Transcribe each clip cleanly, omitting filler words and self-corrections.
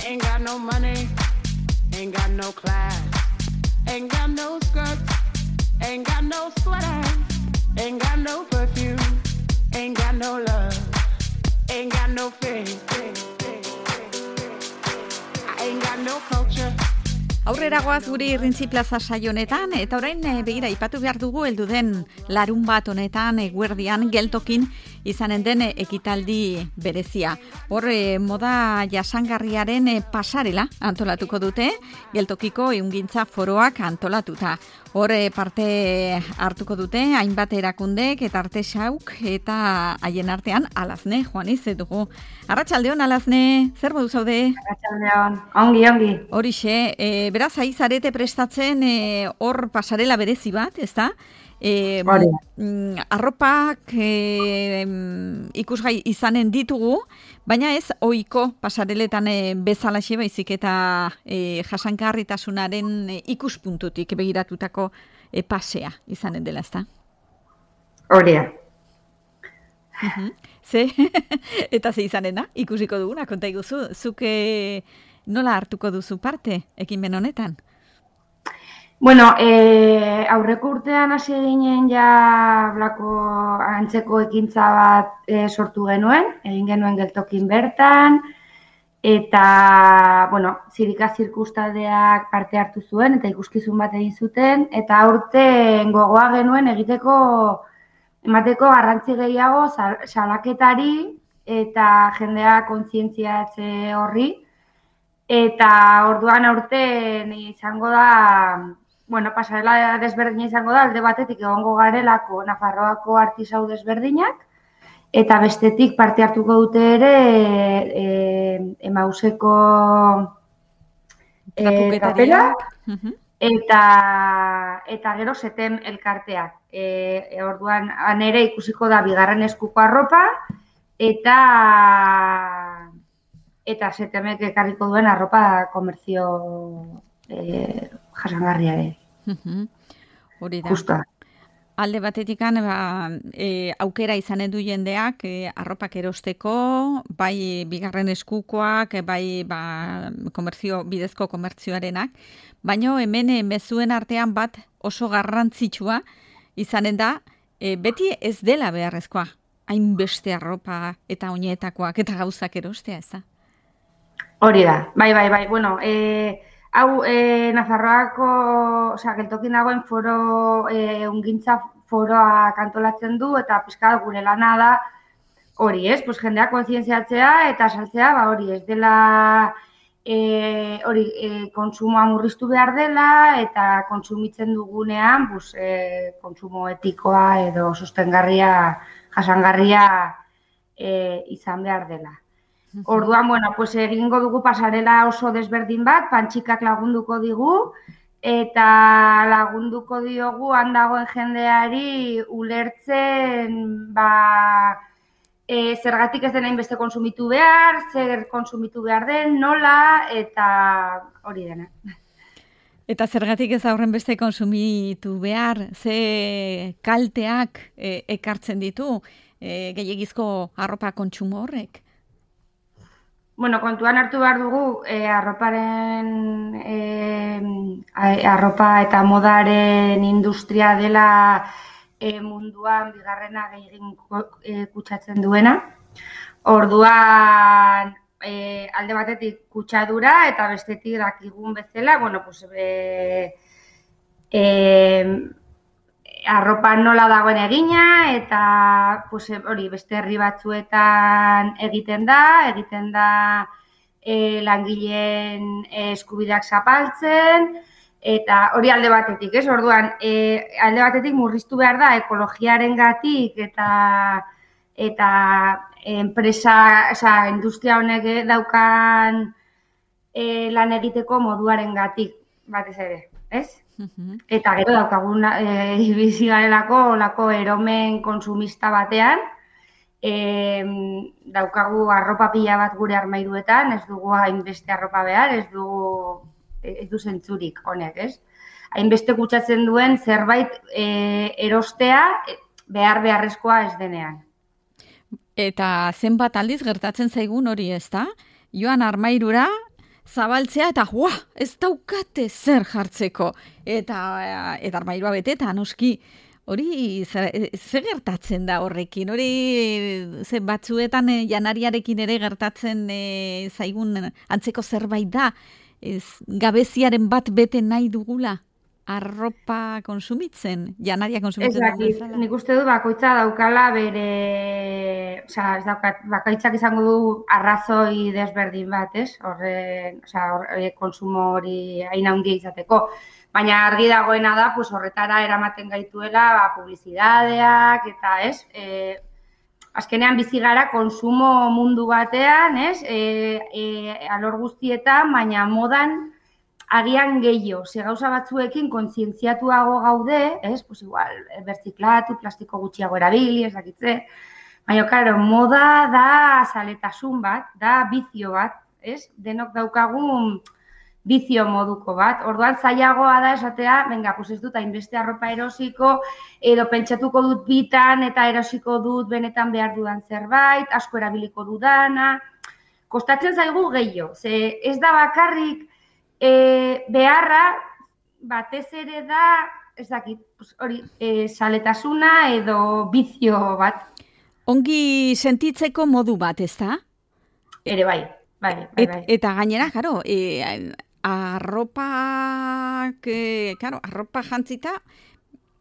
Ain't got no money, ain't got no class, ain't got no skirts, ain't got no sweater, ain't got no perfume, ain't got no love, ain't got no faith, I ain't got no culture. Aurrera goaz gure Irrintzi Plaza saio honetan, eta orain begira ipatu behar dugu heldu den larun bat honetan eguerdian geltokin izanen den ekitaldi berezia. Hor moda jasangarriaren pasarela antolatuko dute, geltokiko ehungintza foroak antolatuta. Hor parte hartuko dute hainbat erakundek eta artesauk eta haien artean Alazne Juaniz dugu. Arratsaldeon Alazne, zer modu zaude? Arratsaldeon, ongi. Horixe, beraz zarete prestatzen hor pasarela berezi bat, ezta? Arropak ikusgai izanen ditugu, baina ez ohiko pasareletan bezalaxe baizik eta jasangarritasunaren ikuspuntutik begiratutako pasea izanen dela, ezta? Horia. Ze? Eta ze izanen da? Ikusiko duguna, konta iguzu. Zuk nola hartuko duzu parte ekimen honetan? Bueno, aurreko urtean hasi ginen ja blako antzeko ekintza bat sortu genuen, egin genuen geltokin bertan, eta, bueno, zirika zirkustaldeak parte hartu zuen, eta ikuskizun bat egin zuten, eta aurten gogoa genuen emateko garrantzi gehiago salaketari eta jendea kontzientziatze horri, eta orduan aurten izango da, bueno, pasarela desberdina izango da, alde batetik egongo garelako Nafarroako artisau desberdinak, eta bestetik parte hartuko dute ere Emauseko trapelak, eta gero Setem elkarteak. Orduan, ere ikusiko da bigarren eskuko arropa, eta Setemek ekarriko duen arropa komertzio jasangarriare. Hori da. Justa. Alde batetik aukera izanen du jendeak arropak erosteko, bai bigarren eskukoak, bai bidezko komertzioarenak, baina hemen mezuen artean bat oso garrantzitsua izanen da, beti ez dela beharrezkoa, hainbeste arropa eta oinetakoak eta gauzak erostea, ez da? Hori da, bai, bueno, hau Nafarroako, geltokin dagoen ehungintza foroak antolatzen du, eta pixka gure lana da hori, ez? Jendea kontzientziatzea eta saltzea, hori ez dela kontsumoa murriztu behar dela, eta kontsumitzen dugunean kontsumo etikoa edo sustengarria, jasangarria izan behar dela. Orduan, egingo dugu pasarela oso desberdin bat, Pantxikak lagunduko digu, eta lagunduko diogu handagoen jendeari ulertzen, zergatik ez den hainbeste kontsumitu behar, zer kontsumitu behar den, nola, eta hori dena. Eta zergatik ez aurren beste kontsumitu behar, ze kalteak ekartzen ditu gehiagizko arropa kontsumo horrek? Kontuan hartu behar dugu, arropa eta modaren industria dela munduan bigarrena gehien kutsatzen duena. Orduan, alde batetik kutsadura eta bestetik dakigun bezala, arropa nola dagoen egina, eta hori beste herri batzuetan egiten da langileen eskubideak zapaltzen, eta hori alde batetik, ez? Orduan, alde batetik murriztu behar da ekologiarengatik eta enpresa, industria honek daukan lan egiteko moduarengatik batez ere, ez? Eta gero daukagun bizi garelako olako eromen kontsumista batean, daukagu arropa pila bat gure armairuetan, ez dugu hainbeste arropa behar, ez du zentzurik honek, ez? Hainbeste kutsatzen duen zerbait erostea beharrezkoa ez denean. Eta zenbat aldiz gertatzen zaigun hori, ez da? Joan armairura, zabaltzea eta ez daukate zer jartzeko. Eta armairua beteta, noski. Hori, ze gertatzen da horrekin? Hori, ze batzuetan janariarekin ere gertatzen zaigun antzeko zerbait da, gabeziaren bat bete nahi dugula, arropa konsumitzen, janaria konsumitzen. Ezakit, nik uste du bakoitza daukala bere, bakaitzak izango du arrazoi desberdin bat, ez? Horre konsumo hori hain handia izateko. Baina argi dagoena da, pues horretara eramaten gaituela, publizidadeak eta, ez? Azkenean bizi gara konsumo mundu batean, ez? Alor guztietan, baina modan agian gehiago. Ze gauza batzuekin kontzientziatuago gaude, ez? Pues igual, bertziklatu, plastiko gutxiago erabili, ez dakitze. Baina, claro, moda da zaletasun bat, da bizio bat, ez? Denok daukagun bizio moduko bat. Orduan zailagoa da esatea, venga, pues ez dut hainbeste arropa erosiko, edo pentsatuko dut bitan eta erosiko dut benetan behar dudan zerbait, asko erabiliko dudana. Kostatzen zaigu gehiago, ze ez da bakarrik beharra, batez ere da, ez dakit, hori, zaletasuna edo bizio bat. Ongi sentitzeko modu bat, ez da? Ere bai. Eta gainera, karo, arropa jantzita,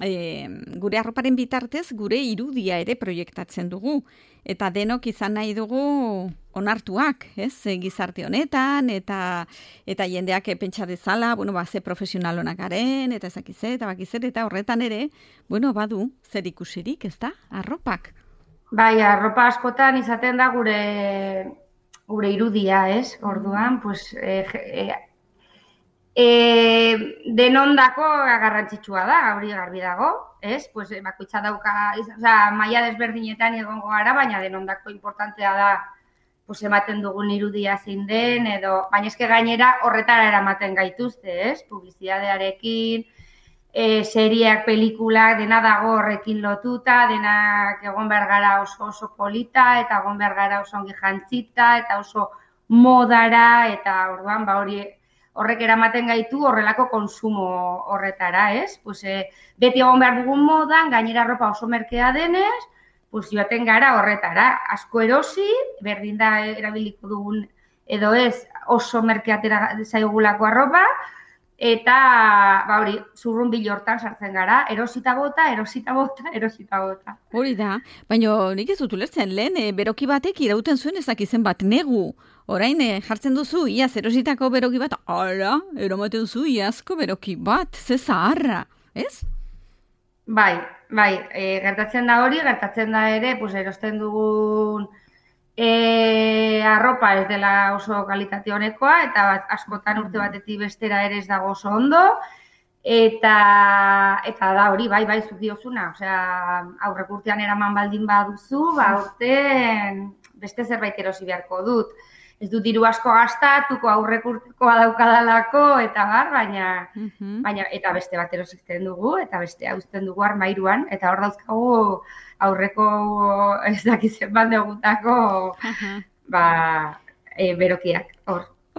gure arroparen bitartez gure irudia ere proiektatzen dugu. Eta denok izan nahi dugu onartuak, ez? Gizarte honetan, eta jendeak pentsa dezala, ze profesional honak garen, eta ezakize, eta bakizer, eta horretan ere, badu zer ikusirik, ez da? Arropak. Bai, arropa askotan izaten da gure irudia, ez? Orduan, pues, denondako garrantzitsua da, hori garbi dago, ez? Pues, bakoitza dauka, maila desberdinetan egongo gara, baina denondako importantea da, pues, ematen dugun irudia zein den, baina eske gainera horretara eramaten gaituzte, ez? Publizidadearekin, serieak, pelikulak, dena dago horrekin lotuta, denak egon behar gara oso polita, eta egon behar gara oso ongi jantzita, eta oso modara, eta orduan, horrek eramaten gaitu horrelako konsumo horretara, ez? Pues, beti egon behar dugun modan, gainera arropa oso merkea denez, pues, joaten gara horretara. Asko erosi, berdin da erabiliko dugun, edo ez, oso merkeatera zaigulako arropa, eta, hori, zurrunbil hortan sartzen gara, erosita bota. Hori da, baina nik ez dut ulertzen, lehen beroki batek irauten zuen ezakizen bat negu. Orain jartzen duzu, iaz erositako beroki bat, eromaten zu iazko beroki bat, ze zaharra, ez? Bai, gertatzen da hori, gertatzen da ere, pues, erosten dugun arropa ez dela oso kalitate honekoa, eta askotan urte batetik bestera ere ez dago oso ondo, eta da hori, bai, zuk diozuna, aurrek urtean eraman baldin baduzu, urten beste zerbait erosi beharko dut. Ez dut diru asko gastatuko aurrek urtekoa daukadalako, eta baina eta beste bat erosisten dugu, eta beste uzten dugu armairuan, eta hor dauzkagu aurreko ez dakizen bat degutako berokiak.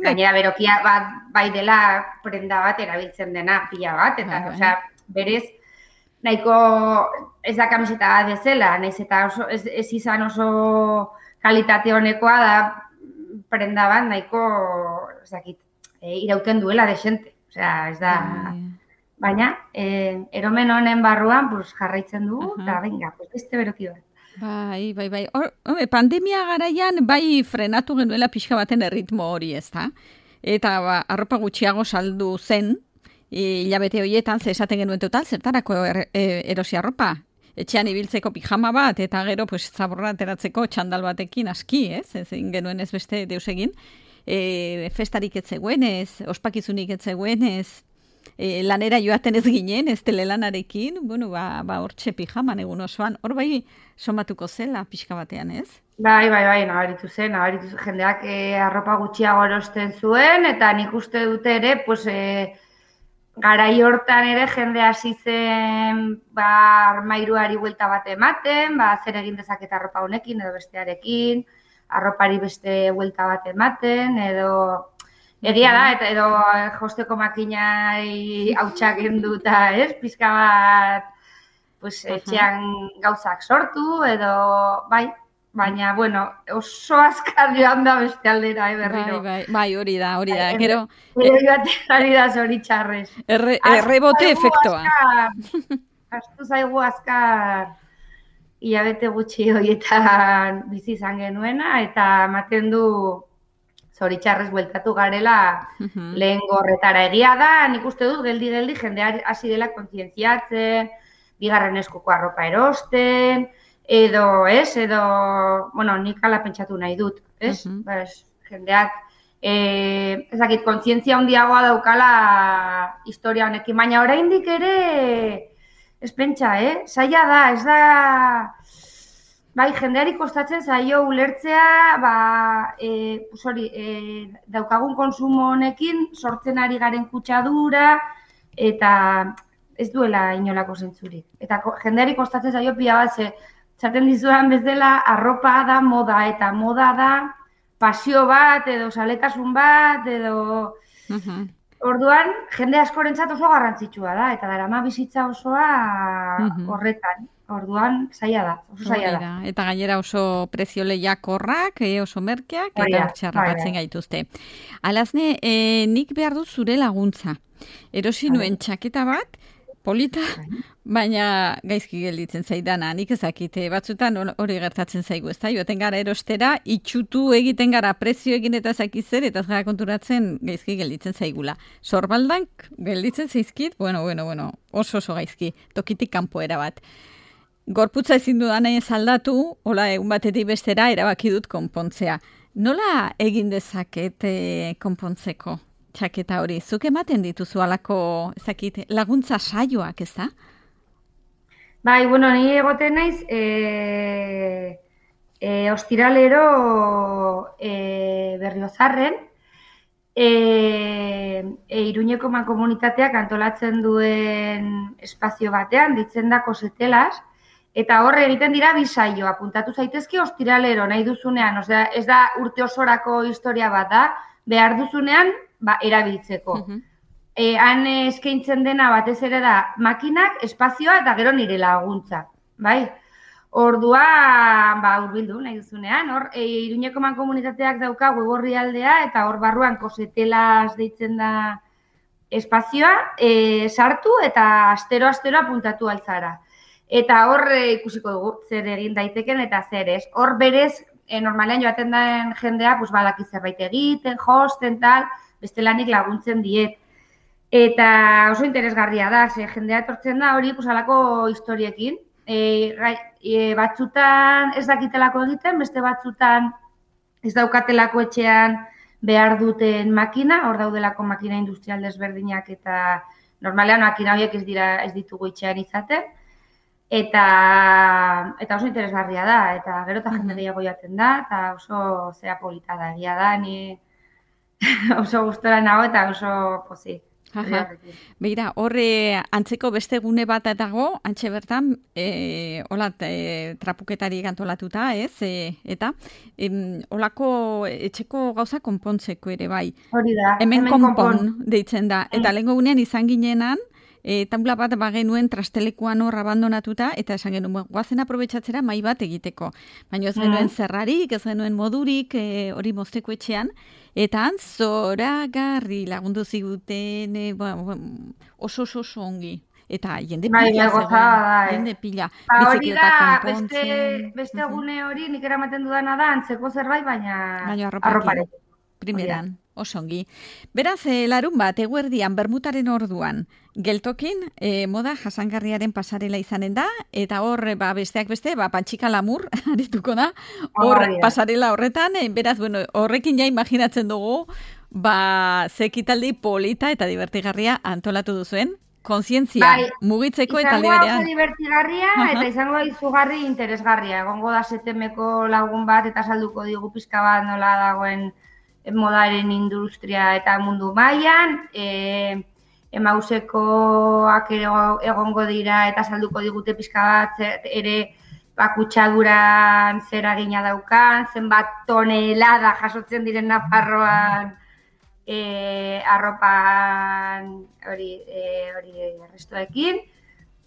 Gainera berokia bai dela prenda bat erabiltzen dena pila bat, eta berez nahiko ez da kamiseta bat bezala, nahiz eta ez izan oso kalitate honekoa da prenda bat nahiko, irauten duela desente. Ez da, baina, eromen honen barruan jarraitzen dugu, eta venga, beste beroki bat. Bai. Pandemia garaian bai frenatu genuela pixka baten erritmo hori, ez da? Eta arropa gutxiago saldu zen, hilabete horietan, esaten genuen total, zertarako erosi arropa? Etxean ibiltzeko pijama bat, eta gero zaborra ateratzeko txandal batekin aski, ez? Ezin genuen ez beste deus egin. Festarik ez zegoenez, ospakizunik ez zegoenez, lanera joaten ez ginen, ez telelanarekin, hortxe pijaman egun osoan, hor bai somatuko zela pixka batean, ez? Bai, nabaritu zen, jendeak arropa gutxiago erosten zuen, eta nik uste dute ere, garai hortan ere jende hasi zen armairuari buelta bat ematen, zer egin dezaket arropa honekin edo bestearekin, arropari beste buelta bat ematen, edo Egia da, eta edo josteko makinai hautsak enduta, ez? Pizka bat, pues, etxean gauzak sortu, edo, bai, baina, bueno, oso azkar joan da beste aldera, berriro. Bai, hori da, gero... Gero joaten da zoritxarrez. Errebote efektoa. Astu zaigu azkar hilabete gutxi horietan bizi izan genuena, eta ematen du zoritxarrez bueltatu garela lehen gorretara. Egia da, nik uste dut, geldi jendea hasi dela kontzientziatzen, bigarren eskuko arropa erosten, edo, bueno, nik ala pentsatu nahi dut, ez? Jendeak, ezakit, kontzientzia handiagoa daukala historia honekin, baina oraindik ere, ez pentsa, zaila da, ez da... Bai, jendeari kostatzen zaio ulertzea, daukagun konsumo honekin sortzen ari garen kutsadura eta ez duela inolako zentzurik. Eta jendeari kostatzen zaio pila bat, zaten dizudan bezala arropa da moda, eta moda da pasio bat, edo saletasun bat, edo... Orduan, jende askorentzat oso garrantzitsua da, eta darama bizitza osoa horretan. Orduan, zaila da, oso zaila da. Eta gainera oso prezio lehiakorrak, oso merkeak, eta txarrapatzen gaituzte. Alazne, nik behar dut zure laguntza. Erosi nuen txaketa bat, polita, baina gaizki gelditzen zaidana. Nik ezakite, batzutan hori gertatzen zaigu, ez da? Joaten gara erostera, itxutu egiten gara prezio egin eta zakizer, eta ez gara konturatzen gaizki gelditzen zaigula. Sorbaldank gelditzen zaizkit, bueno, oso gaizki, tokitik kanpoera bat. Gorputza ezin dudan ez aldatu, hola egun batetik bestera erabaki dut konpontzea. Nola egin dezaket konpontzeko txaketa hori? Zuk ematen dituzu alako, ezakit, laguntza saioak, ez da? Bai, bueno, ni egoten naiz, ostiralero Berriozarren, Iruñeko mankomunitateak antolatzen duen espazio batean, ditzen da Kosetelas, eta horre egiten dira bi saio, apuntatu zaitezke ostiralero nahi duzunean, osea, ez da urte osorako historia bat da, behar duzunean erabiltzeko. Han eskaintzen dena batez ere da makinak, espazioa eta gero nire laguntza, bai? Orduan, hurbildu nahi duzunean, hor, Iruñeko mankomunitateak dauka web orrialdea eta hor barruan Kosetelas deitzen da espazioa, sartu eta astero apuntatu altzara. Eta hor ikusiko dugu zer egin daiteken eta zer ez. Hor berez, normalean joaten den jendea, badaki zerbait egiten, josten, tal, bestelanik laguntzen diet. Eta oso interesgarria da, jendea etortzen da hori alako historiekin. Batzutan ez dakitelako egiten, beste batzutan ez daukatelako etxean behar duten makina, hor daudelako makina industrial desberdinak eta normalean makina horiek ez ditugu etxean izaten. Eta oso interesgarria da, eta gero eta jende gehiago jaten da, eta oso zera polita da, egia da, ni oso gustora nago eta oso pozik. Begira, horre antzeko beste gune bat dago, antxe bertan, trapuketari antolatuta, ez? Eta holako etxeko gauza konpontzeko ere bai. Hori da, hemen konpon deitzen da. Eta lehenko gunean izan ginenan, taula bat bagenuen trastelekuan hor abandonatuta, eta esan genuen, guazen aprobetxatzera mai bat egiteko. Baina ez genuen zerrarik, ez genuen modurik, hori mozteko etxean, eta zoragarri lagundu ziguten, oso ongi. Eta jende pila zegoen, jende pila. Hori da, beste gune hori nik eramaten dudana da, antzeko zerbait, baina arroparekin. Primeran, oso ongi. Beraz, larun bat, eguerdian, bermutaren orduan, geltokin, moda jasangarriaren pasarela izanen da, eta hor, besteak beste, Pantxika Lamur, arituko da, hor pasarela horretan, beraz, horrekin ja imaginatzen dugu, ze ekitaldi polita eta divertigarria antolatu duzuen, kontzientzia mugitzeko eta aldi berean. Izango divertigarria eta izango izugarri interesgarria. Egongo da setemeko lagun bat eta salduko digu pizka bat nola dagoen modaren industria eta mundu mailan, emausekoak egongo dira eta salduko digute pizka bat ere kutsaduran zer agina daukan, zenbat tonelada jasotzen diren Nafarroan arropan hori restoekin,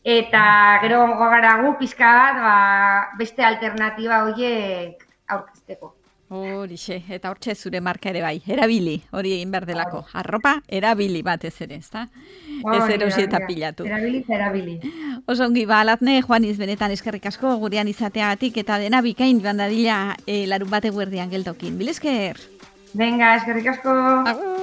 eta gero gara gu pizka bat beste alternatiba horiek aurkezteko. Horixe, eta hortxe zure marka ere bai, erabili, hori egin behar delako. Arropa, erabili batez ere, ezta? Ez erosi eta pilatu. Erabili. Oso ongi, Latne, Juaniz, benetan eskerrik asko gurean izateagatik eta dena bikain joan dadila larunbat eguerdian geltokin. Bil esker? Venga, eskerrik asko. Agur.